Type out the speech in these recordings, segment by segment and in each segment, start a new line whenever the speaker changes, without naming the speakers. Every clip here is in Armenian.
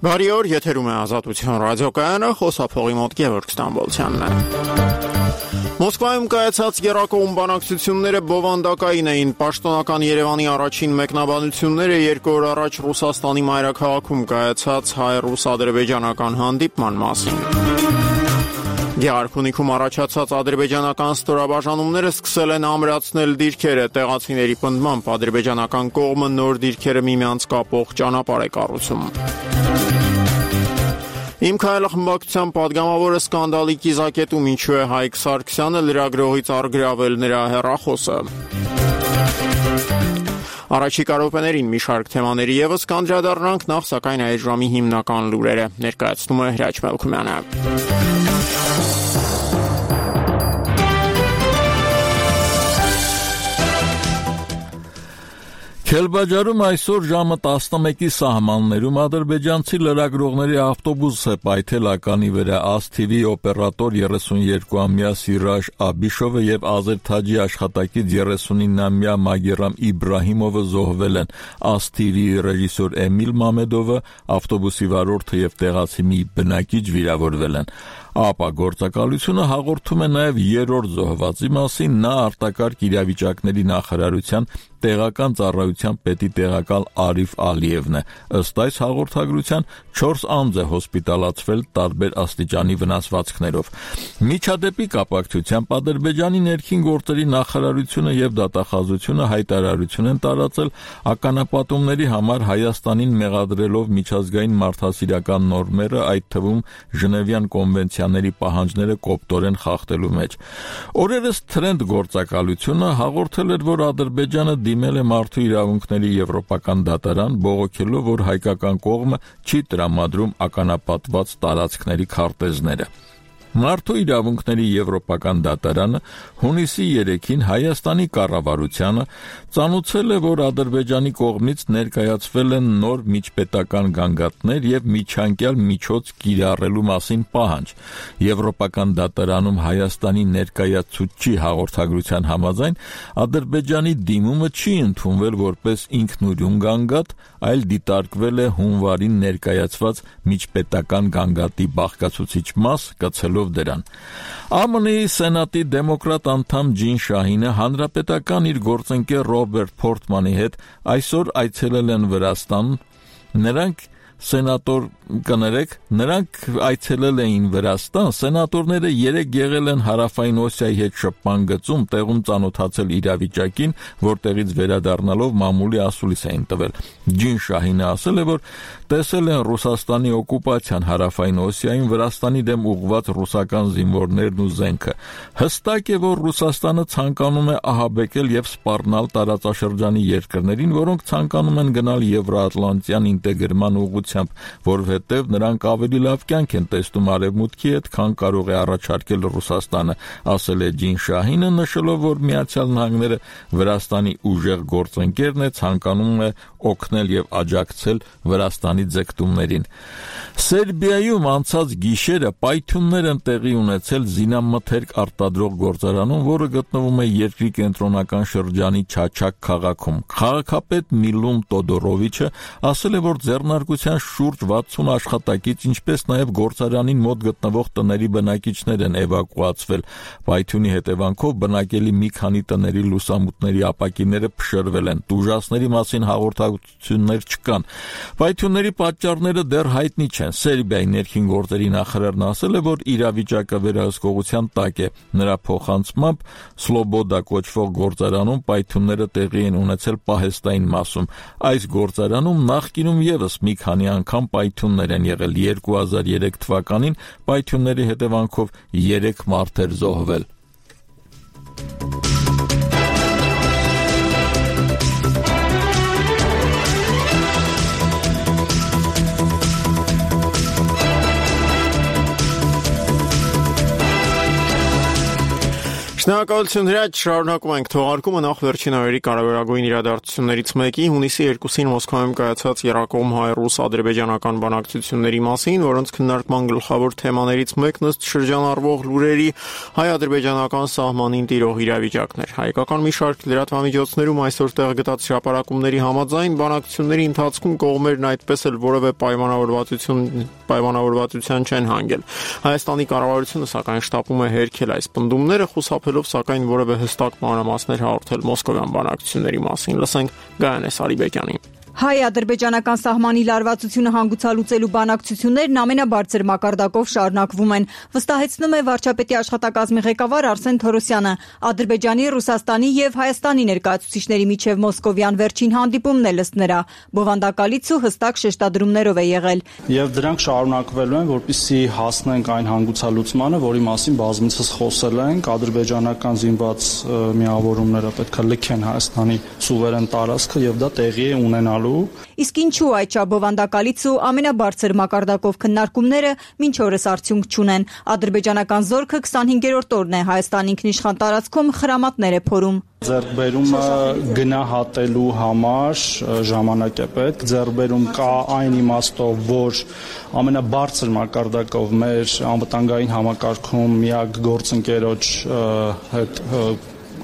Բարի օր, եթերում է Ազատություն ռադիոկայանը, խոսափողի մոտ Գևորգ Ստամբոլցյանն է։ Մոսկվայում կայացած եռակողմ բանակցությունները բովանդակային էին։ Պաշտոնական Երևանի առաջին մեկնաբանությունները 2 օր առաջ Ռուսաստանի մայրաքաղաքում կայացած հայ-ռուս-ադրբեջանական հանդիպման մասին։ Գեղարքունիքում առաջացած ադրբեջանական ստորաբաժանումները սկսել են ամրացնել դիրքերը։ Տեղացիների պնդմամբ ադրբեջանական կողմը նոր դիրքերը միմյանց կապող ճանապարհ է կառուցում։ Իմ քայլը խմբակցության падգամավորը սկանդալի կիզակետում ինչու է Հայկ Սարգսյանը լրագրողից առգրավել նրա հեռախոսը։ Առաջիկա րոպեներին մի շարք թեմաների ևս կանդրադառնանք, նախ սակայն այս ժամի հիմնական լուրերը ներկայացնում է Հրաչ Մելքումյանը։
Քելբաջարում այսօր ժամը 11-ի սահմաններում ադրբեջանցի լրագրողների ավտոբուս է պայթել ականի վրա։ ASTV օպերատոր 32-ամյա Սիրաժ Աբիշովը եւ Ազերթաջի աշխատակից 39-ամյա Մագերամ Իբրահիմովը զոհվել են։ ASTV ռեժիսոր Էմիլ Մամեդովը, ավտոբուսի վարորդը եւ տեղացի մի բնակիչ վիրավորվել են։ ԱՊԱ գործակալությունը հաղորդում է նաև երրորդ զոհվածի մասին։ Նա արտակարգ իրավիճակների նախարարության տեղական ծառայության պետի տեղակալ Արիֆ Ալիևն է։ Ըստ այս հաղորդագրության 4 անձ է հոսպիտալացվել տարբեր աստիճանի վնասվածքներով։ Միջադեպի կապակցությամբ Ադրբեջանի ներքին գործերի նախարարությունը եւ դատախազությունը հայտարարություն են տարածել ականապատումների համար Հայաստանին մեղադրելով միջազգային մարդասիրական նորմերը, այդ թվում Ժնևյան կոնվենցիաների պահանջները կոպտորեն խախտելու մեջ։ Օրերս Թրենդ գործակալությունը հաղորդել էր, որ Ադրբեջանը դիմել է մարդու իրավունքների եվրոպական դատարան, բողոքելով, որ հայկական կողմը չի տրամադրում ականապատված տարածքների քարտեզները։ Մարդու իրավունքների եվրոպական դատարանը հունիսի 3-ին Հայաստանի կառավարությանը ծանուցել է, որ Ադրբեջանի կողմից ներկայացվել են նոր միջպետական գանգատներ եւ միջանկյալ միջոց կիրառելու մասին պահանջ։ Եվրոպական դատարանում Հայաստանի ներկայացուցչի հաղորդագրության համաձայն Ադրբեջանի դիմումը չի ընդունվել որպես ինքնուրույն գանգատ, այլ դիտարկվել է հունվարին ներկայացված միջպետական գանգատի բաղկացուցիչ մաս, կցելով դրան։ ԱՄՆ-ի Սենատի դեմոկրատ անդամ Ջին Շահինը հանրապետական իր գործընկեր Ռոբերտ Փորթմանի հետ այսօր այցելել են Վրաստան։ Նրանք այցելել էին Վրաստան, սենատորները 3 եղել են Հարավային Օսիայի հետ շփման գծում, տեղում ծանոթացել իրավիճակին, որտեղից վերադառնալով մամուլի ասուլիս էին տվել։ Ջին Շահինը ասել է, որ տեսել են Ռուսաստանի օկուպացիան Հարավային Օսիայում, Վրաստանի դեմ ուղղված ռուսական զինվորներն ու զենքը։ Հստակ է, որ Ռուսաստանը ցանկանում է ահաբեկել եւ սպառնալ տարածաշրջանի երկրներին, որոնք ցանկանում են գնալ Եվրոատլանտյան ինտեգրման ուղղությամբ, որովհետև նրանք ավելի լավ կյանք են տեսնում Արևմուտքի հետ, քան կարող է առաջարկել Ռուսաստանը, ասել է Ջին Շահինը, նշելով, որ Միացյալ Նահանգները Վրաստանի ուժեղ գործընկերն է, ցանկանում է օգնել եւ աջակցել Վրաստանի ձգտումներին։ Սերբիայում անցած գիշերը պայթյուններ են տեղի ունեցել զինամթերք արտադրող գործարանում, որը գտնվում է երկրի կենտրոնական շրջանի Չաչակ քաղաքում։ Քաղաքապետ Միլուն Տոդորովիչը ասել է, որ ձեռնարկության շուրջ 60 աշխատակից, ինչպես նաև գործարանին մոտ գտնվող տների բնակիչներ են էվակուացվել։ Պայթյունի հետևանքով բնակելի մի քանի տների լուսամուտների ապակիները փշրվել են։ Տուժածների մասին հաղորդակցություններ չկան։ Պայթյունների պատճառները դեռ հայտնի չեն։ Սերբիայի ներքին գործերի նախարարն ասել է, որ իրավիճակը վերահսկողության տակ է։ Նրա փոխանցմամբ Սլոբոդա կոչվող գործարանում պայթյունները տեղի են ունեցել պահեստային մասում։ Այս գործարանում նախկինում եւս մի քանի անգամ պայթյուններ են եղել։ 2003 թվականին պայթյունների հետևանքով 3 մարդ էր զոհվել։
Շնորհակալություն Հրաչ, շարունակում ենք թողարկումը նախ վերջին օրերի կարևորագույն իրադարձություններից մեկի հունիսի 2-ին Մոսկվայում կայացած Երակոմ հայ-ռուս-ադրբեջանական բանակցությունների մասին, որոնց քննարկման գլխավոր թեմաներից մեկն ըստ շրջանառվող լուրերի հայ-ադրբեջանական սահմանին տիրող իրավիճակն էր։ Հայկական մի շարք լրատվամիջոցներում այսօր տեղ գտած հրապարակումների համաձայն բանակցությունների ընթացքում կողմերն այդպես էլ որևէ պայմանավորվածության չեն հանգել։ Հայաստանի կառավարությունը սակայն շտապում է հերքել այս պնդումները, խուսափելով սակայն որևէ հստակ մանրամասներ հաղորդել մոսկովյան բանակցությունների մասին։ Լսենք Գայանե Սարիբեկյանին։
Հայ-ադրբեջանական սահմանի լարվածությունը հանգուցալուծելու բանակցություններն ամենաբարձր մակարդակով շարունակվում են, վստահեցնում է վարչապետի աշխատակազմի ղեկավար Արսեն Թորոսյանը։ Ադրբեջանի, Ռուսաստանի եւ Հայաստանի ներկայացուցիչների միջև մոսկովյան վերջին հանդիպումն է ըստ նրա բովանդակալից ու հստակ շեշտադրումներով է եղել։
Եվ դրանք շարունակվելու են, որպեսզի հասնենք այն հանգուցալուծմանը, որի մասին բազմիցս խոսել ենք, ադրբեջանական զինված միավորումները պետք է լքեն Հայաստանի սուվերեն տարածքը եւ դա տեղի է ունենալու։
Իսկ ինչու այդ բովանդակալից ու ամենաբարձր մակարդակով քննարկումները մինչ օրս արդյունք չունեն։ Ադրբեջանական զորքը 25-րդ օրն է Հայաստանի ինքնիշխան տարածքում խրամատներ է փորում։
Ձեռքբերումը գնահատելու համար ժամանակ է պետք։ Ձեռքբերում կա այն իմաստով, որ ամենաբարձր մակարդակով մեր անվտանգային համակարգում միակ գործընկերոջ հետ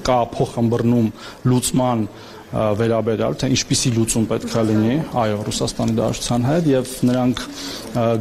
կա փոխըմբռնում լուծման վերաբերյալ, թե ինչպիսի լուծում պետք է լինի, այո, Ռուսաստանի Դաշնության հետ եւ նրանք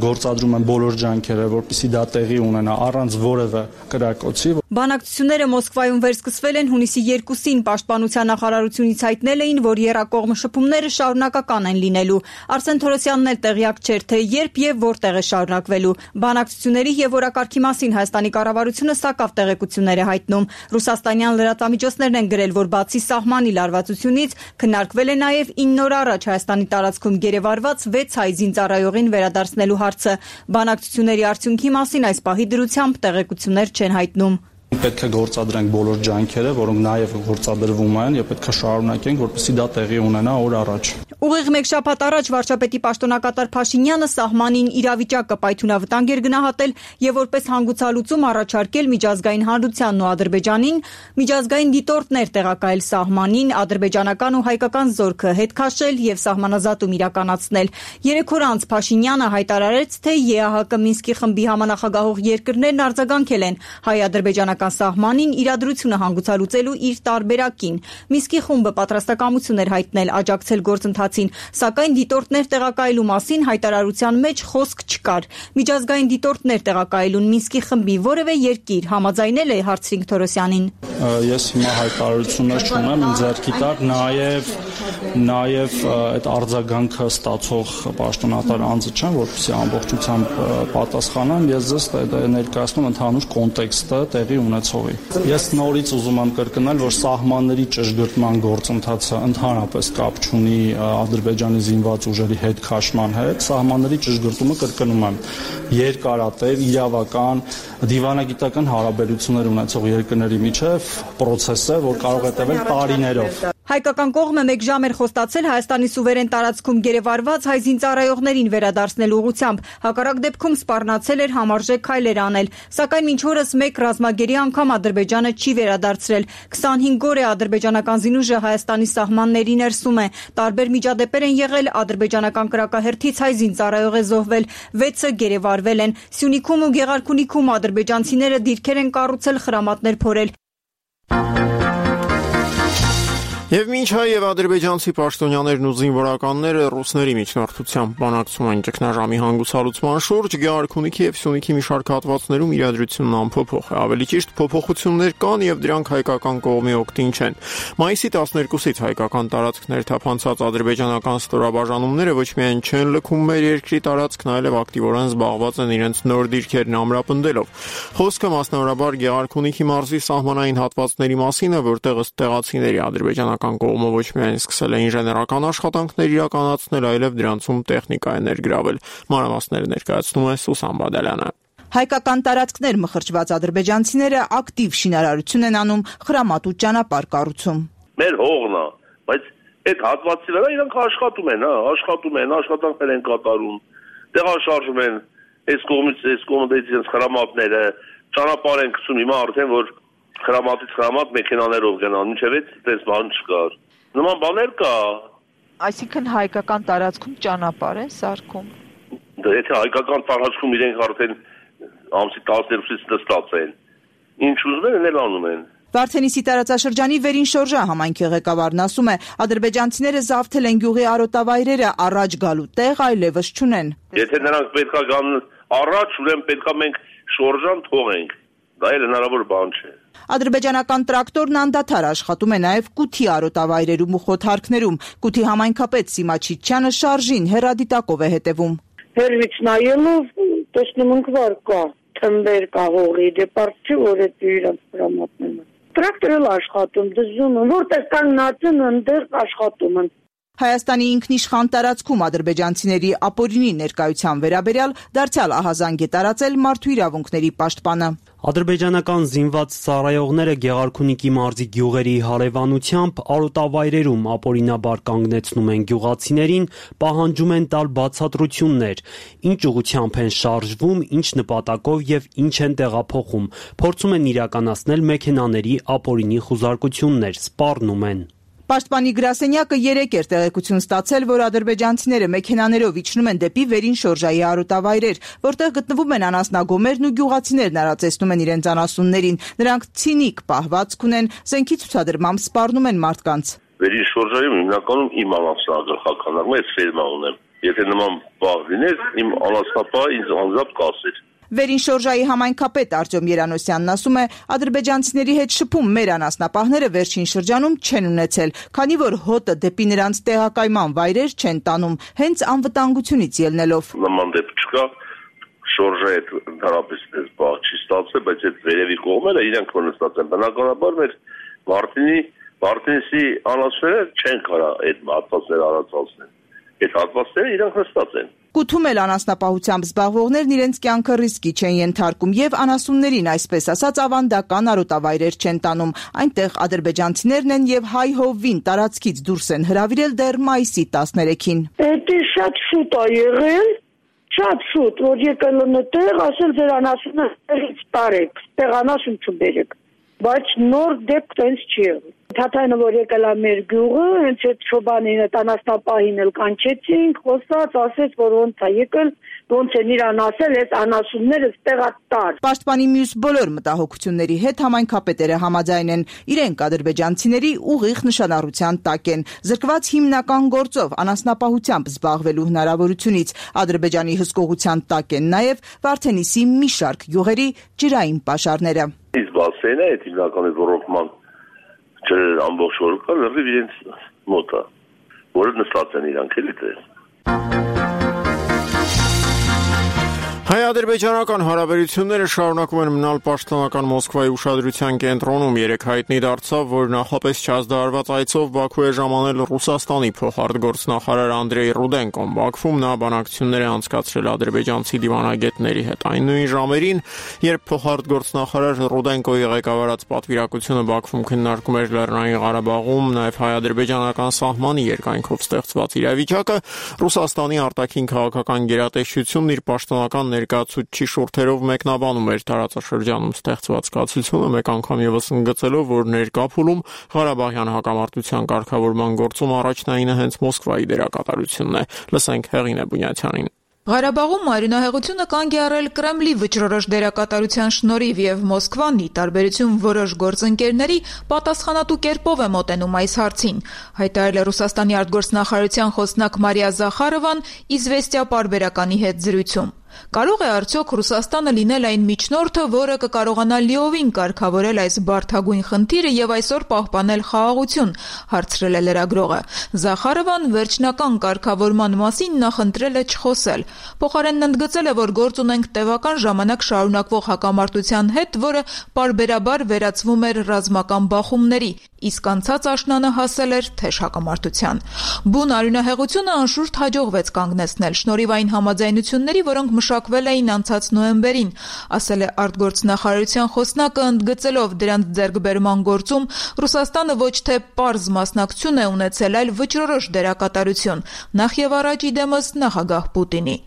գործադրում են բոլոր ջանքերը, որպեսզի դա տեղի ունենա առանց որևէ կրակոցի։
Բանակցությունները Մոսկվայում վերսկսվել են հունիսի 2-ին, Պաշտպանության նախարարությունից հայտնել էին, որ եռակողմ շփումները շարունակական են լինելու։ Արսեն Թորոսյանն էլ տեղյակ չէր, թե երբ եւ որտեղ է շարունակվելու։ Բանակցությունների եւ օրակարգի մասին Հայաստանի կառավարությունը սակավ տեղեկություններ է հայտնում։ Ռուսաստանյան լրատվամիջոցներն են գրել, որ բացի սահմանի լարվածությունից քննարկվել է նաև 9 օր առաջ Հայաստանի տարածքում գերեվարված 6 հայ զինծառայողին վերադարձնելու հարցը։ Բանակցությունների արդյունքի մասին այս պահի դրությամբ տեղեկություններ չեն հայտնում։
Պետք է գործադրենք բոլոր ջանքերը, որոնք նաև գործադրվում են, եւ պետք է շարունակենք, որպեսզի դա տեղի ունենա օր առաջ։
Ուղիղ մեկ շաբաթ առաջ վարչապետի պաշտոնակատար Փաշինյանը սահմանին իրավիճակը պայթունավտանգ էր գնահատել եւ որպես հանգուցալուծում առաջարկել միջազգային հանրությանն ու Ադրբեջանին միջազգային դիտորդներ տեղակայել սահմանին, ադրբեջանական ու հայկական զորքը հետ քաշել եւ սահմանազատում իրականացնել։ 3 օր անց Փաշինյանը հայտարարեց, թե ԵԱՀԿ Մինսկի խմբի համանախագահող երկրներն արձագանքել են հայ-ադրբեջանական սահմանին իրադրությունը հանգուցալուծելու իր տարբերակին։ Մինսկի խումբը պատրաստակամություն էր հայտնել աջակցել գործընթացին, սակայն դիտորդներ տեղակայելու մասին հայտարարության մեջ խոսք չկար։ Միջազգային դիտորդներ տեղակայելուն Մինսկի խմբի որևէ երկիր համաձայնել է, հարցրինք Թորոսյանին։
Ես հիմա հայտարարություններ չունեմ, ինձ ձեռքի տակ նաև այդ արձագանքը ստացող պաշտոնատար անձը չեմ, որպեսզի ամբողջությամբ պատասխանեմ, ես ձեզ ներկայացնում ընդհանուր կոնտեքստը տեղի ունեցողի։ Ես նորից ուզում եմ կրկնել, որ սահմանների ճշգրտման գործընթացը ընդհանրապես կապ չունի Ադրբեջանի զինված ուժերի հետ քաշման հետ, սահմանների ճշգրտումը կրկնում եմ երկարատև իրավական դիվանագիտական հարաբերություններ ունեցող երկրների միջև process է, որ կարող է տևել տարիներով։
Հայկական կողմը 1 ժամ էր խոստացել Հայաստանի սուվերեն տարածքում գերեվարված հայ զինծառայողներին վերադարձնելու ուղղությամբ, հակառակ դեպքում սպառնացել էր համարժեք քայլեր անել, սակայն մինչ օրս 1 ռազմագերի անգամ Ադրբեջանը չի վերադարձրել։ 25 օր է ադրբեջանական զինուժը Հայաստանի սահմանների ներսում է։ Տարբեր միջադեպեր են եղել, ադրբեջանական կրակահերթից հայ զինծառայող է զոհվել, 6-ը գերեվարվել են։ Սյունիքում ու Գեղարքունիքում ադրբեջանցիները դիրքեր են կառուցել խրամատներ փորել։
Եվ մինչ հայ եւ ադրբեջանցի պաշտոնյաներն ու զինվորականները ռուսների միջնորդությամբ բանակցում են ճգնաժամի հանգուցալուծման շուրջ, Գեղարքունիքի եւ Սյունիքի մի շարք հատվածներում իրադրությունն անփոփոխ է։ Ավելի ճիշտ, փոփոխություններ կան եւ դրանք հայկական կողմի օգտին չեն։ Մայիսի 12-ից հայկական տարածքներ թափանցած ադրբեջանական ստորաբաժանումները ոչ միայն չեն լքում մեր երկրի տարածքն, այլև ակտիվորեն զբաղված են իրենց նոր դիրքերն ամրապնդելով։ Խոսքը մասնավորաբար Գեղարքունիքի մարզի սահմանային հատվածների մասին է, որտեղ ըստ տեղացիների ադրբեջանական կողմը ոչ միայն սկսել է ինժեներական աշխատանքներ իրականացնել, այլև դրանցում տեխնիկա է ներգրավել։ Մանրամասները ներկայացնում է Սուսան Բադալյանը։
Հայկական տարածքներ մխրճված ադրբեջանցիները ակտիվ շինարարություն են անում, խրամատու ճանապարհ կառուցում։
Մեր հողն է, բայց այդ հատվածի վրա իրանք աշխատում են, աշխատանքներ են կատարում, տեղաշարժում են, այս կողմից իրենց խրամատները, ճանապարհ են գցում, հիմա արդեն որ Խրամատից խրամատ մեքենաներով գնան, ինչև այդպես բան չկար։ Նման բաներ կա։
Այսինքն հայկական տարածքում ճանապարհ են սարքում։
Դա եթե հայկական տարածքում իրենք արդեն ամսի 12-ից նստած են, ինչ ուզում են, էլ անում են։
Վարդենիսի տարածաշրջանի վերին շորժա համայնքի ղեկավարն ասում է, ադրբեջանցիները զավթել են գյուղի արոտավայրերը, առաջ գալու տեղ այլևս չունեն։
Եթե նրանք պետքա գան առաջ, ուրեմն պետքա մենք շորժան թողենք։ Դա էլ հնարավոր բան չէ։
Ադրբեջանական տրակտորն անդադար աշխատում է նաև Կութի արոտավայրերում ու խոթարքներում։ Կութի համայնքապետ Սիմա Չիչյանը շարժին հեռադիտակով է հետևում։
Հերվից նայելով տեսնում ենք վար կա, թմբեր կա հողի, դեպարդ չի, որ այդ իրանց հրամատնում են։ Տրակտորը աշխատում, դժում են, որտեղ կանգնած են, ընդեղ աշխատում են։
Հայաստանի ինքնիշխան տարածքում ադրբեջանցիների ապօրինի ներկայության վերաբերյալ դարձյալ ահազանգ է տարածել մարդու իրավունքների պաշտպանը։
Ադրբեջանական զինված ծառայողները Գեղարքունիքի մարզի գյուղերի հարևանությամբ արոտավայրերում ապօրինաբար կանգնեցնում են գյուղացիներին, պահանջում են տալ բացատրություններ, ինչ ուղղությամբ են շարժվում, ինչ նպատակով եւ ինչ են տեղափոխում, փորձում են իրականացնել մեքենաների ապօրինի խուզարկություններ, սպառնում են։
Պաշտպանի գրասենյակը 3 էր տեղեկություն ստացել, որ ադրբեջանցիները մեքենաներով իջնում են դեպի վերին շորժայի արոտավայրեր, որտեղ գտնվում են անասնագոմերն ու գյուղացիներն արածեցնում են իրենց անասուններին։ Նրանք ցինիկ պահվածք ունեն, զենքի ցուցադրմամբ սպառնում են մարդկանց։
Վերին շորժայում հիմնականում իմ անասնագլխականն է, ֆերմա ունեմ։ Եթե նման բաղ լիներ, իմ անասնապահը ինձ անձամբ կասեր։
Վերին շորժայի համայնքապետ Արտյոմ Երանոսյանն ասում է, ադրբեջանցիների հետ շփում մեր անասնապահները վերջին շրջանում չեն ունեցել, քանի որ հոտը դեպի նրանց տեղակայման վայրեր չեն տանում, հենց անվտանգությունից ելնելով։
Նման դեպք չկա, շորժը այդ ընդհանրապես դες բաղ չի ստացել, բայց այդ վերևի կողմերը իրենք նստած են։ Բնականաբար մեր Վարդենիսի անասունները չեն կարա այդ հատվածները արածացնել։ Այդ հատվածները իրենք նստած են։
Կութում էլ անասնապահությամբ զբաղվողներն իրենց կյանքը ռիսկի չեն ենթարկում եւ անասուններին, այսպես ասած, ավանդական արոտավայրեր չեն տանում։ Այնտեղ ադրբեջանցիներն են եւ հայ-հովին տարածքից դուրս են հրավիրել դեռ մայիսի 13-ին։
Դա շատ շուտ է եղել, շատ շուտ, որ եկել են այդտեղ, ասել ձեր անասունը տեղից տարեք, տեղ անասուն չբերեք։ Բայց նոր դեպք տենց չի եղել։ Թաթայինը որ եկել է մեր գյուղը, հենց այդ շոբանին, այդ անասնապահին էլ կանչեցինք, խոսած, ասեց, որ ոնց է եկել, ոնց են իրան ասել, այս անասունները տեղատար։
Պաշտպանի մյուս բոլոր մտահոգությունների հետ համայնքապետերը համաձայն են, իրենք ադրբեջանցիների ուղիղ նշանառության տակ են, զրկված հիմնական գործով անասնապահությամբ զբաղվելու հնարավորությունից։ Ադրբեջանի հսկողության տակ են նաև Վարդենիսի մի շարք գյուղերի ջրային պաշարները։
Իսկ բասենը այդ հիմնականի ռոռոկման ջրեր ամբողջ օր կա լրիվ իրենց մոտ է, որը նստած են իրանք էլի դες։
Հայ-ադրբեջանական հարաբերությունները շարունակում են մնալ պաշտոնական Մոսկվայի ուշադրության կենտրոնում։ Երեկ հայտնի դարձավ, որ նախապես չազդարված այցով Բաքու է ժամանել Ռուսաստանի փոխարտգործնախարար Անդրեյ Ռուդենկոն։ Բաքվում նա բանակցություններ է անցկացրել ադրբեջանցի դիվանագետների հետ։ Այն նույն ժամերին, երբ փոխարտգործնախարար Ռուդենկոյի ղեկավարած պատվիրակությունը Բաքվում քննարկում էր Լեռնային Ղարաբաղում նաև հայ-ադրբեջանական սահմանի երկայնքով ստեղծված իրավիճակը, Ռուսաստանի արտաքին քաղաքական գերատեսչությունն իր պաշտոնական ներկայացուցիչի շուրթերով մեկնաբանում էր տարածաշրջանում ստեղծված կացությունը, մեկ անգամ ևս ընդգծելով, որ ներկա փուլում Ղարաբաղյան հակամարտության կարգավորման գործում առաջնայինը հենց Մոսկվայի դերակատարությունն է։ Լսենք Հեղինե Բունյաթյանին։
Ղարաբաղում արյունահեղությունը կանգ է առել Կրեմլի վճռորոշ դերակատարության շնորհիվ եւ Մոսկվան, ի տարբերություն որոշ գործընկերների, պատասխանատու կերպով է մոտենում այս հարցին, հայտարարել է Ռուսաստանի արտգործնախարարության խոսնակ Մարիա Զախարովան «Իզվեստիա» պարբերականի հետ զրույցում։ Կարող է արդյոք Ռուսաստանը լինել այն միջնորդը, որը կկարողանա լիովին կարգավորել այս բարդագույն խնդիրը եւ այսօր պահպանել խաղաղություն, հարցրել է լրագրողը։ Զախարովան վերջնական կարգավորման մասին նախընտրել է չխոսել։ Փոխարենն ընդգծել է, որ գործ ունենք տևական ժամանակ շարունակվող հակամարտության հետ, որը պարբերաբար վերածվում էր ռազմական բախումների։ իսկ անցած աշնանը հասել էր թեժ հակամարտության։ Բուն արյունահեղությունը անշուշտ հաջողվեց կանգնեցնել շնորհիվ այն համաձայնությունների, որոնք մշակվել էին անցած նոյեմբերին, ասել է արտգործնախարարության խոսնակը, ընդգծելով դրանց ձեռքբերման գործում Ռուսաստանը ոչ թե պարզ մասնակցություն է ունեցել, այլ վճռորոշ դերակատարություն, նախ եւ առաջ իդեմս նախագահ Պուտինի։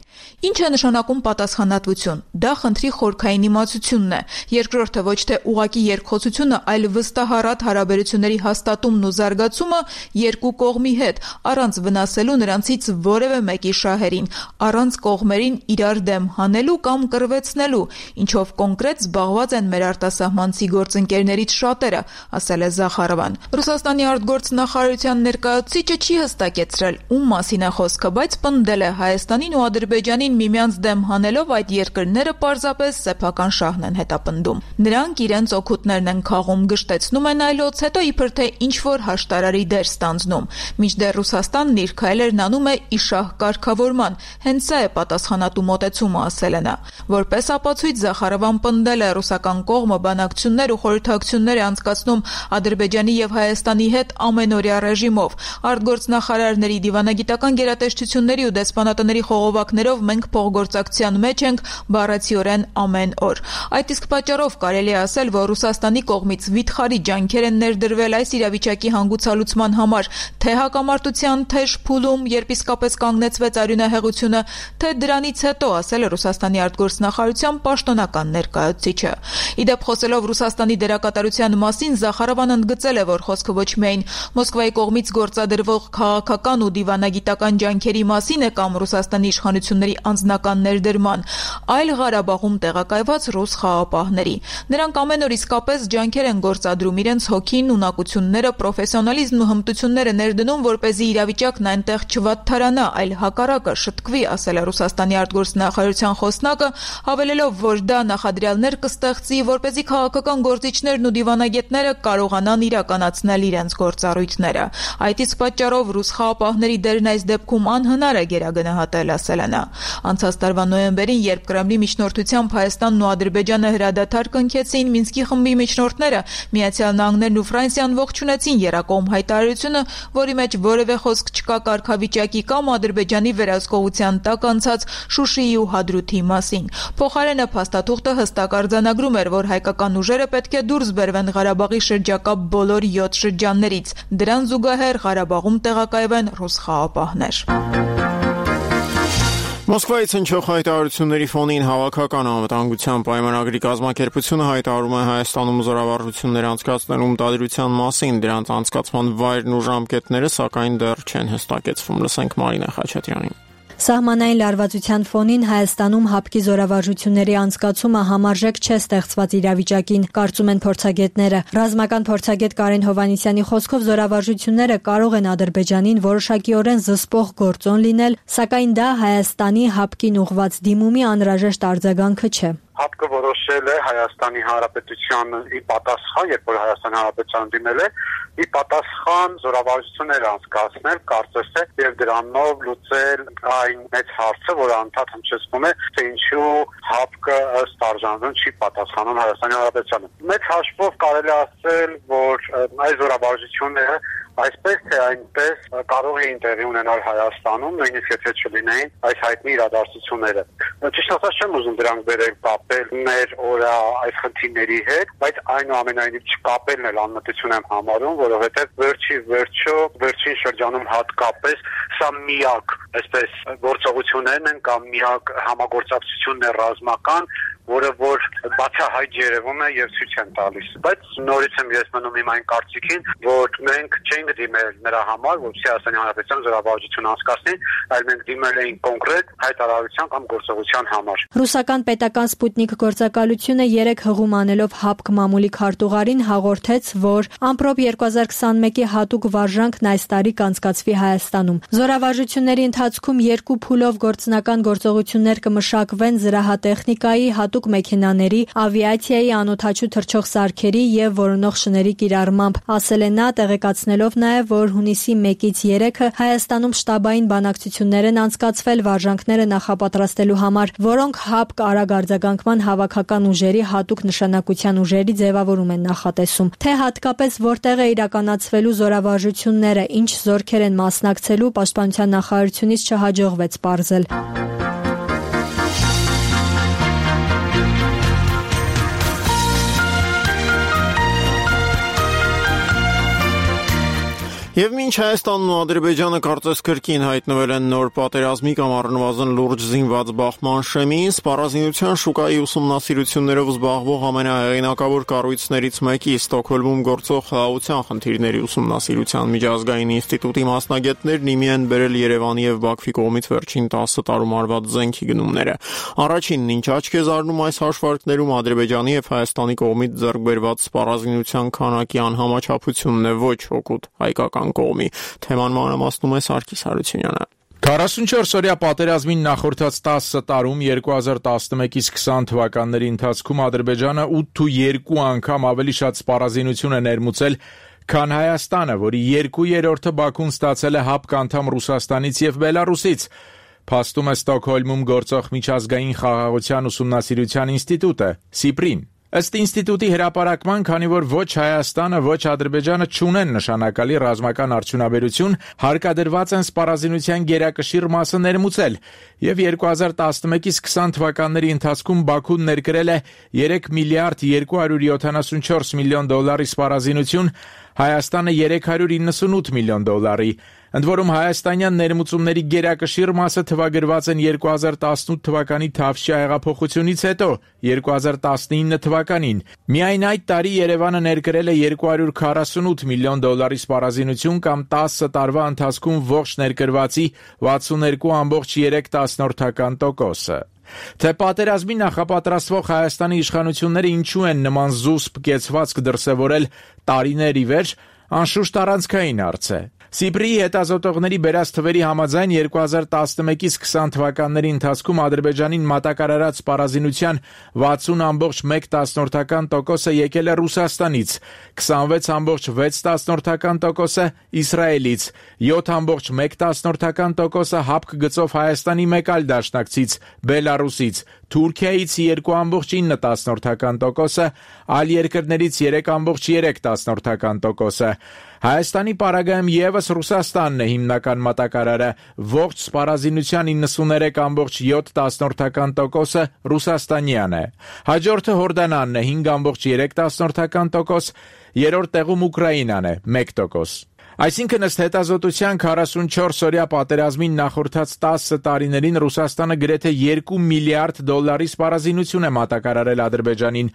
Ինչ է նշանակում պատասխանատվություն։ Դա խնդրի խորքային իմացությունն է։ Երկրորդը ոչ թե ուղղակի երկխոսությունը, այլ վստահառատ հարաբերությունների հաստատումն ու զարգացումը երկու կողմի հետ, առանց վնասելու նրանցից որևէ մեկի շահերին, առանց կողմերին իրար դեմ հանելու կամ կռվեցնելու, ինչով կոնկրետ զբաղված են մեր արտասահմանցի գործընկերներից շատերը, ասել է Զախարովան։ Ռուսաստանի արտգործնախարարության ներկայացուցիչը չի հստակեցրել ում մասին է խոսքը, բայց պնդել է Հայաստանին ու Ադրբեջանին միմյանց դեմ հանելով այդ երկրները պարզապես սեփական շահն են հետապնդում։ Նրանք իրենց օգուտներն են քաղում, գշտեցնում են այլոց, հետո իբր թե ինչ-որ հաշտարարի դեր ստանձնում։ Մինչդեռ Ռուսաստանն իր քայլերն անում է իշահ կարգավորման, հենց սա է պատասխանատու մոտեցումը, ասել է նա։ Որպես ապացույց Զախարովան պնդել է ռուսական կողմը բանակցություններ ու խորհրդակցություններ է անցկացնում Ադրբեջանի եւ Հայաստանի հետ ամենօրյա ռեժիմով։ Արտգործնախարարների դիվանագիտական գերատեսչությունների ու դեսպանատների խողովակներով մենք փոխգործակցության մեջ ենք բառացիորեն ամեն օր։ Այդ իսկ պատճառով կարելի է ասել, որ Ռուսաստանի կողմից վիթխարի ջանքեր են ներդրվել այս իրավիճակի հանգուցալուծման համար, թե հակամարտության թեժ փուլում, երբ իսկապես կանգնեցվեց արյունահեղությունը, թե դրանից հետո, ասել է Ռուսաստանի արտգործնախարարության պաշտոնական ներկայացուցիչը։ Իդեպ խոսելով Ռուսաստանի դերակատարության մասին, Զախարովան ընդգծել է, որ խոսքը ոչ միայն Մոսկվայի կողմից գործադրվող քաղաքական ու դիվանագիտական ջանքերի մասին է կամ Ռուսաստանի իշխանությունների անձնական ներդրման, այլ Ղարաբաղում տեղակայված ռուս խաղապահների։ Նրանք ամեն օր իսկապես ջանքեր են գործադրում, իրենց հոգին, ունակությունները, պրոֆեսիոնալիզմն ու հմտությունները ներդնում, որպեսզի իրավիճակն այնտեղ չվատթարանա, այլ հակառակը շտկվի, ասել է Ռուսաստանի արտգործնախարարության խոսնակը, հավելելով, որ դա նախադրյալներ կստեղծի, որպեսզի քաղաքական գործիչներն ու դիվանագետները կարողանան իրականացնել իրենց գործառույթները։ Այդ իսկ պատճառով ռուս խաղապահների դերն այս դեպքում անհնար է գերագնահատել, ասել է նա։ Անցած տարվա նոյեմբերին, երբ Կրեմլի միջնորդությամբ Հայաստանն ու Ադրբեջանը հրադադար կնքեցին, Մինսկի խմբի միջնորդները Միացյալ Նահանգներն ու Ֆրանսիան ողջունեցին Երակոմ հայտարարությունը, որի մեջ որևէ խոսք չկա կարգավիճակի կամ Ադրբեջանի վերահսկողության տակ անցած Շուշիի ու Հադրութի մասին։ Փոխարենը փաստաթուղթը հստակ արձանագրում էր, որ հայկական ուժերը պետք է դուրս բերվեն Ղարաբաղի շրջակա բոլոր 7 շրջաններից։ Դրան զուգահեռ Ղարաբաղում տեղակայվեն ռուս խաղապահներ։
Մոսկվայից հնչող հայտարարությունների ֆոնին Հավաքական անվտանգության պայմանագրի կազմակերպությունը հայտարարում է Հայաստանում զորավարժություններ անցկացնելու մտադրության մասին, դրանց անցկացման վայրն ու ժամկետները սակայն դեռ չեն հստակեցվում։ Լսենք Մարինա Խաչատրյանին։
Սահմանային լարվածության ֆոնին Հայաստանում հապկի զորավարժությունների անցկացումը համարժեք չէ ստեղծված իրավիճակին, կարծում են փորձագետները։ Ռազմական փորձագետ Կարեն Հովհաննիսյանի խոսքով զորավարժությունները կարող են Ադրբեջանին որոշակիորեն զսպող գործոն լինել, սակայն դա Հայաստանի հապկին ուղղված դիմումի անհրաժեշտ արձագանքը չէ։
Հապկը որոշել է Հայաստանի Հանրապետության ի պատասխան, երբ որ Հայաստանի Հանրապետության դիմել է, ի պատասխան զորավարժություններ անցկացնել, կարծես թե եւ դրանով լուծել այն մեծ հարցը, որը անդադ հնչեցնում է, թե ինչու հապկը ըստ արժանանուն չի պատասխանում Հայաստանի Հանրապետությանը։ Մեծ հաշվով կարելի ասել, որ այս զորավարժությունները այսպես թե այնպես կարող էին տեղի ունենալ Հայաստանում, նույնիսկ եթե չլինեին այս հայտնի իրադարձությունները։ Ճիշտ ասած չեմ ուզում դրանք բերել կապել մեր օրա այս խնդիրների հետ, բայց այնուամենայնիվ չկապելն էլ անմտություն եմ համարում, որովհետև վերջին շրջանում հատկապես սա միակ այսպես գործողություններն են կամ միակ համագործակցությունն է ռազմական, որը որ բացահայտ երևում է եւ ցույց են տալիս։ Բայց նորից եմ ես մնում իմ այն կարծիքին, որ մենք չենք դիմել նրա համար, որպեսզի Հայաստանի Հանրապետության զորավարժություն անցկացնի, այլ մենք դիմել էինք կոնկրետ հայտարարության կամ գործողության համար։
Ռուսական պետական Սպուտնիկ գործակալությունը 3 հղում անելով հապկ մամուլի քարտուղարին հաղորդեց, որ ամպրոպ 2021-ի հատուկ վարժանքն այս տարի կանցկացվի Հայաստանում։ Զորավարժությունների ընթացքում 2 փուլով գործնական գործողություններ կմշակվեն զրահատեխնիկայի, հատուկ մեքենաների, ավիացիայի անօդաչու թռչող սարքերի եւ որոնող շների կիրառմամբ, ասել է նա, տեղեկացնելով նաեւ, որ հունիսի 1-ից 3-ը Հայաստանում շտաբային բանակցություններ են անցկացվել վարժանքները նախապատրաստելու համար, որոնք ՀԱՊԿ արագ արձագանքման հավաքական ուժերի հատուկ նշանակության ուժերի ձևավորում են նախատեսում, թե հատկապես որտեղ է իրականացվելու զորավարժությունները, ինչ զորքեր են մասնակցելու, Պաշտպանության նախարարությունից չհաջողվեց պարզել։
Եվ մինչ Հայաստանն ու Ադրբեջանը կարծես կրկին հայտնվել են նոր պատերազմի կամ առնվազն լուրջ զինված բախման շեմին, սպառազինության շուկայի ուսումնասիրություններով զբաղվող ամենահեղինակավոր կառույցներից մեկի Ստոկհոլմում գործող խաղաղության խնդիրների ուսումնասիրության միջազգային ինստիտուտի մասնագետներն իմի են բերել Երևանի եւ Բաքվի կողմից վերջին 10 տարում արված զենքի գնումները։ Առաջինն, ինչ աչք է զարնում այս հաշվարկներում, Ադրբեջանի եւ Հայաստանի կողմից ձեռք բերված սպառազինության քանակի անհամաչափությունն է, ոչ օգուտ հայկական կողմի։ Թեման մանրամասնում է Սարգիս Հարությունյանը։
44-օրյա պատերազմին նախորդած 10 տարում 2011-ից 20 թվականների ընթացքում Ադրբեջանը 8-2 անգամ ավելի շատ սպառազինություն է ներմուծել, քան Հայաստանը, որի 2/3-ը Բաքուն ստացել է ՀԱՊԿ անդամ Ռուսաստանից եւ Բելարուսից, փաստում է Ստոկհոլմում գործող միջազգային խաղաղության ուսումնասիրության ինստիտուտը, SIPRI-ն։ Ըստ ինստիտուտի հրապարակման, քանի որ ոչ Հայաստանը, ոչ Ադրբեջանը չունեն նշանակալի ռազմական արդյունաբերություն, հարկադրված են սպառազինության գերակշիռ մասը ներմուծել, եւ 2011-ից 20 թվականների ընթացքում Բաքուն ներկրել է 3 միլիարդ 274 միլիոն դոլարի սպառազինություն, Հայաստանը 398 միլիոն դոլարի։ Ընդ որում հայաստանյան ներմուծումների գերակշիռ մասը թվագրված են 2018 թվականի Թավշյա հեղափոխությունից հետո, 2019 թվականին։ Միայն այդ տարի Երևանը ներկրել է 248 միլիոն դոլարի սպառազինություն կամ 10 տարվա ընթացքում ողջ ներկրվածի 62.3%։ Թե պատերազմի նախապատրաստվող Հայաստանի իշխանությունները ինչու են նման զուսպ կեցվածք դրսևորել տարիներ ի վեր, անշուշտ առանցքային հարց է։ SIPRI-ի հետազոտողների բերած թվերի համաձայն 2011-ից 20 թվականների ընթացքում Ադրբեջանին մատակարարած սպառազինության 60.1%-ը եկել է Ռուսաստանից, 26.6%-ը Իսրայելից, 7.1%-ը ՀԱՊԿ գծով Հայաստանի մեկ այլ դաշնակցից, Բելարուսից, Թուրքիայից 2.9%-ը, այլ երկրներից 3.3%-ը։ Հայաստանի պարագայում եւս Ռուսաստանն է հիմնական մատակարարը, ողջ սպառազինության 93.7%-ը ռուսաստանյան է։ Հաջորդը Հորդանանն է 5.3%, երրորդ տեղում Ուկրաինան է 1%։ Այսինքն ըստ հետազոտության 44-օրյա պատերազմին նախորդած 10 տարիներին Ռուսաստանը գրեթե 2 միլիարդ դոլարի սպառազինություն է մատակարարել Ադրբեջանին,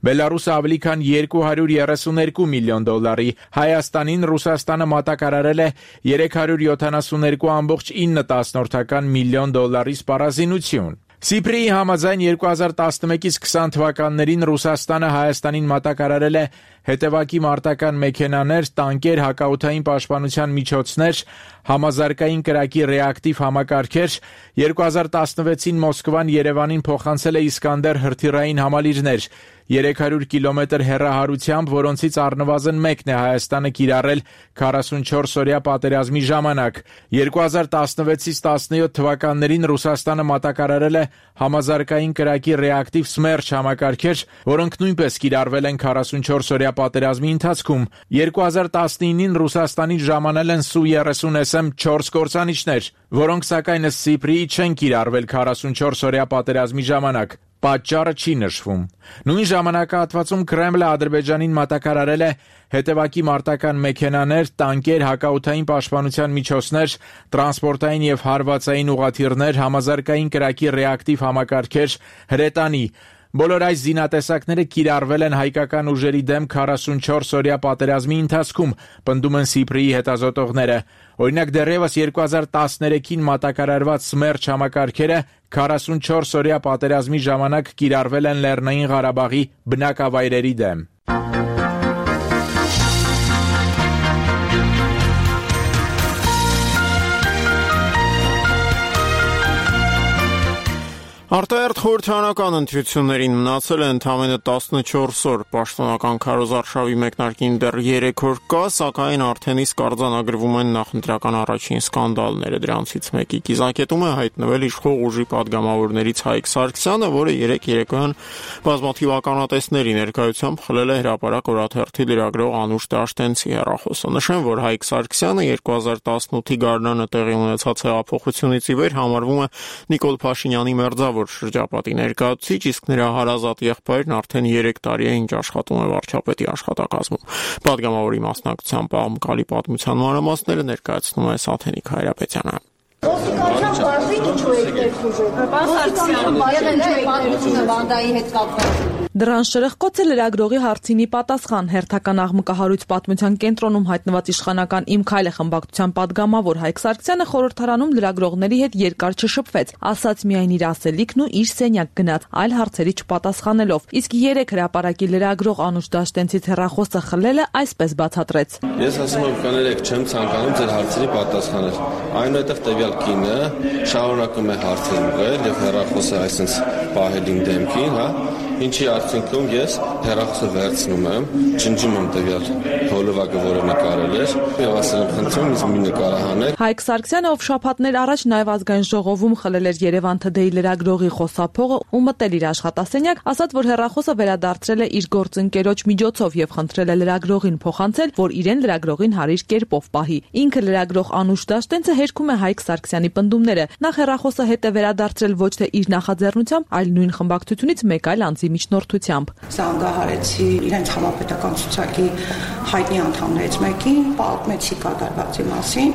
Բելարուսը ավելի քան 232 միլիոն դոլարի, Հայաստանին Ռուսաստանը մատակարարել է 372.9 միլիոն դոլարի սպառազինություն։ SIPRI-ի համաձայն 2011-ից 20 թվականներին Ռուսաստանը Հայաստանին մատակարարել է հետևակի մարտական մեքենաներ, տանկեր, հակաօդային պաշտպանության միջոցներ, համազարգային կրակի ռեակտիվ համակարգեր, 2016-ին Մոսկվան Երևանին փոխանցել է Իսկանդեր հրթիռային համալիրներ, 300 կիլոմետր հեռահարությամբ, որոնցից առնվազն մեկն է Հայաստանը կիրառել 44-օրյա պատերազմի ժամանակ։ 2016-ից 17 թվականներին Ռուսաստանը մատակարարել է համազարգային կրակի ռեակտիվ Սմերչ համակարգեր, որոնք նույնպես կիրառվել են 44-օրյա պատերազմի ընթացքում։ 2019-ին Ռուսաստանից ժամանել են Su-30SM 4 կործանիչներ, որոնք սակայն ըստ SIPRI-ի չեն կիրառվել 44-օրյա պատերազմի ժամանակ։ Պատճառը չի նշվում։ Նույն ժամանակահատվածում Կրեմլը Ադրբեջանին մատակարարել է հետևակի մարտական մեքենաներ, տանկեր, հակաօդային պաշտպանության միջոցներ, տրանսպորտային եւ հարվածային ուղղաթիռներ, համազարգային կրակի ռեակտիվ համակարգեր, հրետանի։ Բոլոր այս զինատեսակները կիրառվել են հայկական ուժերի դեմ 44-օրյա պատերազմի ընթացքում, պնդում են SIPRI-ի հետազոտողները։ Օրինակ դեռևս 2013-ին մատակարարված Սմերչ համակարգերը 44-օրյա պատերազմի ժամանակ կիրառվել են Լեռնային Ղարաբաղի բնակավայրերի դեմ։
Արտահերթ խորհրդարանական ընտրություններին մնացել է ընդամենը 14 օր, պաշտոնական քարոզարշավի մեկնարկին դեռ 3 օր կա, սակայն արդեն իսկ արձանագրվում են նախընտրական առաջին սկանդալները, դրանցից մեկի կիզակետում է հայտնվել իշխող ուժի падգամավորներից Հայկ Սարգսյանը, որը երեկոյան բազմաթիվ ականատեսների ներկայությամբ խլել է հրապարակ օրաթերթի լրագրող Անուշ Դաշտենցի հեռախոսը։ Նշեմ, որ Հայկ Սարգսյանը 2018-ի գարնանը տեղի ունեցած հեղափոխությունից ի վեր համարվում է Նիկոլ Փաշինյանի մերձավոր շրջապատի ներկայացուցիչ, իսկ նրա հարազատ եղբայրն արդեն 3 տարի է ինչ աշխատում է վարչապետի աշխատակազմում։ Պատգամավորի մասնակցությամբ աղմկալի պատմության մանրամասները ներկայացնում է Սաթենիկ Հայրապետյանը։
Ոստիկանության բաժնի ինչու եք ներխուժել։ Բանդայի հետ կապված։
Դրան շրխկոց է լրագրողի հարցինի պատասխան։ Հերթական աղմկահարույց պատմության կենտրոնում հայտնված իշխանական Իմ քայլը խմբակցության падգամավոր Հայկ Սարգսյանը խորհրդարանում լրագրողների հետ երկար չշփվեց, ասաց միայն իր ասելիքն ու իր սենյակ գնաց, այլ հարցերի չպատասխանելով։ Իսկ 3 հրապարակի լրագրող Անուշ Դաշտենցից հեռախոսը խլելը այսպես բացատրեց։
Ես ասում եմ, կներեք, չեմ ցանկանում ձեր հարցերի պատասխանել։ Այնուհետև տվյալ կինը շարունակում է հարցեր ուղղել եւ հեռախոսը այսպես պահել իմ դեմքին, հա։ Ինչի արդյունքում ես հեռախոսը վերցնում եմ, ջնջում եմ տվյալ հոլովակը, որը նկարել էր, եւ ասել եմ, խնդրում ինձ մի նկարահանել։
Հայկ Սարգսյանը, ով շաբաթներ առաջ նաև ազգային ժողովում խլել էր Երևան Today լրագրողի խոսափողը ու մտել իր աշխատասենյակ, ասաց, որ հեռախոսը վերադարձրել է իր գործընկերոջ միջոցով եւ խնդրել է լրագրողին փոխանցել, որ իրեն լրագրողին հարիր կերպով պահի։ Ինքը լրագրող Անուշ Դաշտենցը հերքում է Հայկ Սարգսյանի պնդումները։ Նախ հեռախոսը հետ է վերադարձրել ոչ թե իր նախաձեռնությամբ, այլ նույն խմբակցությունից մեկ այլ անձի միջնորդությամբ։
Զանգահարեցի իրենց համապետական ցուցակի հայտնի անդամներից մեկին, պատմեցի կատարվածի մասին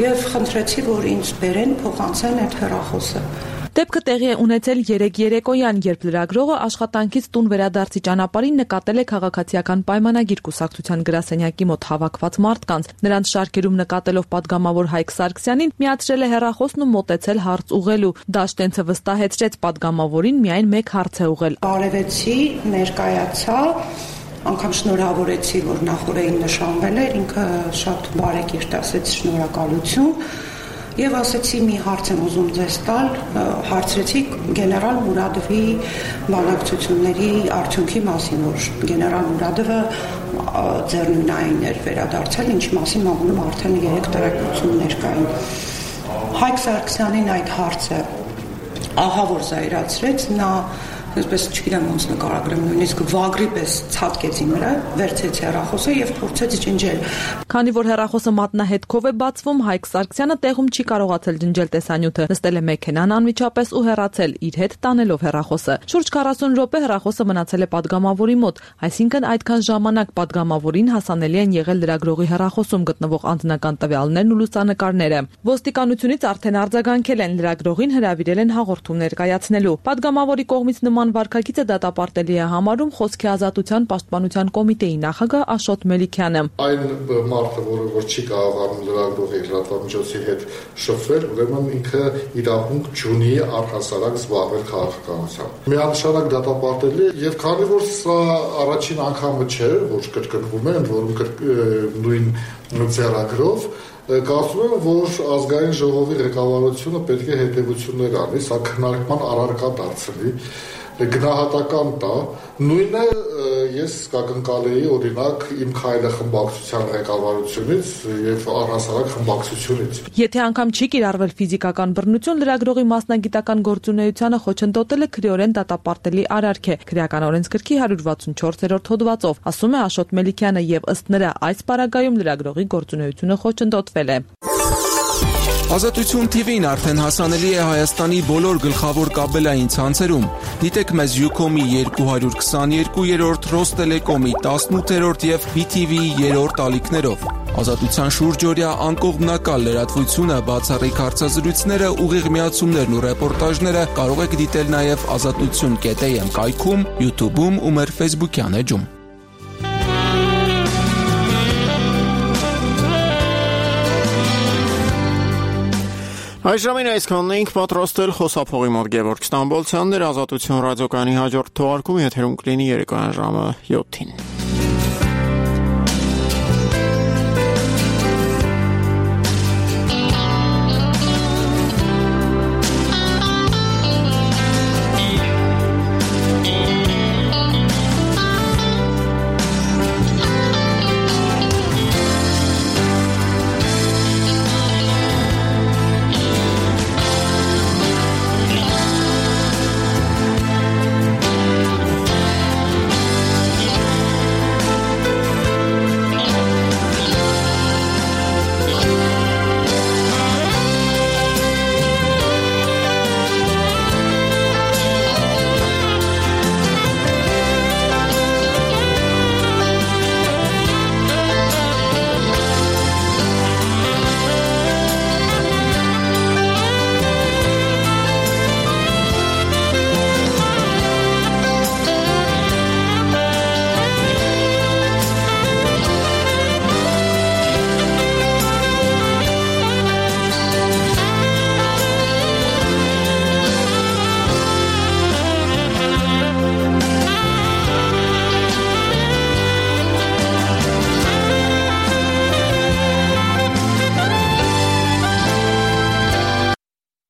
եւ խնդրեցի, որ ինձ բերեն փոխանցեն այդ հեռախոսը։
Դեպքը տեղի է ունեցել 3 երեկոյան, երբ լրագրողը աշխատանքից տուն վերադարձի ճանապարհին նկատել է քաղաքացիական պայմանագիր կուսակցության գրասենյակի մոտ հավաքված մարդկանց։ Նրանց շարքերում նկատելով падգամավոր Հայկ Սարգսյանին, միացրել է հեռախոսն ու մոտեցել հարց ուղղելու։ Դաշտենցը վստահեցրեց падգամավորին միայն մեկ հարց է ուղղել։
Բարևեցի, ներկայացա, անգամ շնորհավորեցի, որ նախորդին նշանվել էր, ինքը շատ բարեկիրթ ասեց շնորհակալություն։ Եվ ասեցի մի հարց եմ ուզում ձեզ տալ, հարցրեցի գեներալ Մուրադովի բանակցությունների արդյունքի մասին, որ գեներալ Մուրադովը ձեռնունային էր վերադարձել, ինչի մասին մամուլում արդեն 3 տեղեկություններ կային։ Հայկ Սարգսյանին այդ հարցը ահավոր զայրացրեց, նա այսպես չգիտեմ ոնց նկարագրեմ, նույնիսկ վագրի պես ցածկեց իմ վրա, վերցրեց հեռախոսը եւ փորձեց ջնջել։
Քանի որ հեռախոսը մատնահետքով է բացվում, Հայկ Սարգսյանը տեղում չի կարողացել ջնջել տեսանյութը, նստել է մեքենան անմիջապես ու հեռացել, իր հետ տանելով հեռախոսը։ Շուրջ 40 րոպե հեռախոսը մնացել է падգամավորի մոտ, այսինքն այդքան ժամանակ падգամավորին հասանելի են եղել լրագրողի հեռախոսում գտնվող անձնական տվյալներն ու լուսանկարները։ Ոստիկանությունից արդեն արձագանքել են, լրագրողին հրավիրել են հաղորդում ներկայացնելու։ Падգամավորի կողմից նման վարքագիծը դատապարտելի է համարում Խոսքի ազատության պաշտպանության կոմիտեի նախագահ Աշոտ Մելիքյանը։
Այն մարդը, որը չի կարողանում լրագրողի լրատվամիջոցի հետ շփվել, ուրեմն ինքը իրավունք չունի առհասարակ զբաղվել քաղաքականությամբ։ Միանշանակ դատապարտելի է, եւ քանի որ սա առաջին անգամը չէ, որ կրկնվում է, ընդ որում նույն ձեռագրով, կարծում եմ, որ ազգային ժողովի ղեկավարությունը պետք է հետևություններ անի, սա քննարկման առարկա դարձնի, գնահատական տա։ Նույնը ես կակնկալեի օրինակ Իմ քայլը խմբակցության ղեկավարությունից եւ առհասարակ խմբակցությունից։
Եթե անգամ չի կիրառվել ֆիզիկական բռնություն, լրագրողի մասնագիտական գործունեությանը խոչընդոտելը քրեորեն դատապարտելի արարք է քրեական օրենսգրքի 164-րդ հոդվածով, ասում է Աշոտ Մելիքյանը, եւ ըստ նրա այս պարագայում լրագրողի գործունեությունը խոչընդոտվել է։
Ազատություն TV-ն արդեն հասանելի է Հայաստանի բոլոր գլխավոր կաբելային ցանցերում։ Դիտեք մեզ Ucom-ի 222-րդ, Ռոստելեկոմի 18-րդ եւ BTV-ի 3-րդ ալիքներով։ Ազատության շուրջօրյա անկողմնակալ լրատվությունը, բացառիկ հարցազրույցները, ուղիղ միացումներն ու ռեպորտաժները կարող եք դիտել նաեւ azatutun.am կայքում, YouTube-ում ու մեր Facebook-յան էջում։
Այժմին այսքանն էինք պատրաստել խոսափողի մոտ Գևորգ Ստամբոլցյանն էր, Ազատություն ռադիոկայանի հաջորդ թողարկումը եթերում կլինի երեկոյան ժամը 7-ին։